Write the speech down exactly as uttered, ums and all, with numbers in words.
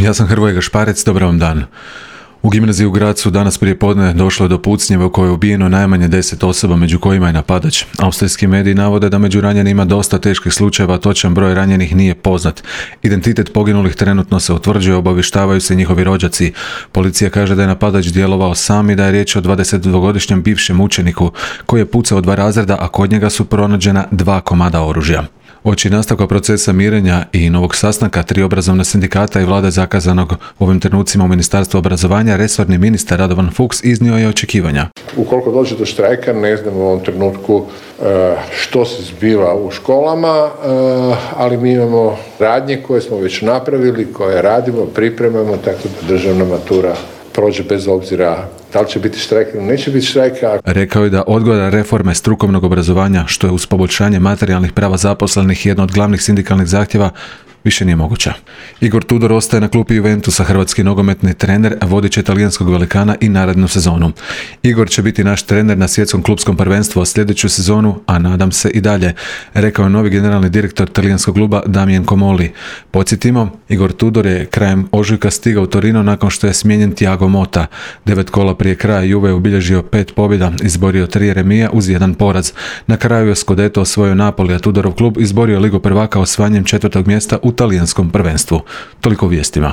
Ja sam Hrvoje Gašparec, dobar vam dan. U gimnaziji u Grazu danas prije podne došlo je do pucnjeva u kojoj je ubijeno najmanje deset osoba, među kojima je napadač. Austrijski mediji navode da među ranjenima dosta teških slučajeva, točan broj ranjenih nije poznat. Identitet poginulih trenutno se utvrđuje, obavještavaju se njihovi rođaci. Policija kaže da je napadač djelovao sam i da je riječ o dvadesetdvogodišnjem bivšem učeniku koji je pucao dva razreda, a kod njega su pronađena dva komada oružja. Uoči nastavka procesa mirenja i novog sastanka tri obrazovna sindikata i vlade zakazanog u ovim trenucima u Ministarstvu obrazovanja, resorni ministar Radovan Fuchs iznio je očekivanja. Ukoliko dođe do štrajka, ne znam u ovom trenutku što se zbiva u školama, ali mi imamo radnje koje smo već napravili, koje radimo, pripremamo, tako da državna matura prođe bez obzira da li će biti štrajk ili neće biti štrajka. Rekao je da odgoda reforme strukovnog obrazovanja, što je uz poboljšanje materijalnih prava zaposlenih jedno od glavnih sindikalnih zahtjeva, više nije moguća. Igor Tudor ostaje na klupi Juventusa, hrvatski nogometni trener, vodit će talijanskog velikana i narednu sezonu. Igor će biti naš trener na svjetskom klupskom prvenstvu sljedeću sezonu, a nadam se i dalje, rekao je novi generalni direktor talijanskog kluba Damien Comolli. Podsjetimo, Igor Tudor je krajem ožujka stigao u Torino nakon što je smijenjen Thiago Motta. Devet kola prije kraja Juve je obilježio pet pobjeda, izborio tri remija uz jedan poraz. Na kraju je Scudetto osvojio Napoli, a Tudorov klub izborio Ligu prvaka osvajanjem četvrtog mjesta u talijanskom prvenstvu. Toliko u vijestima.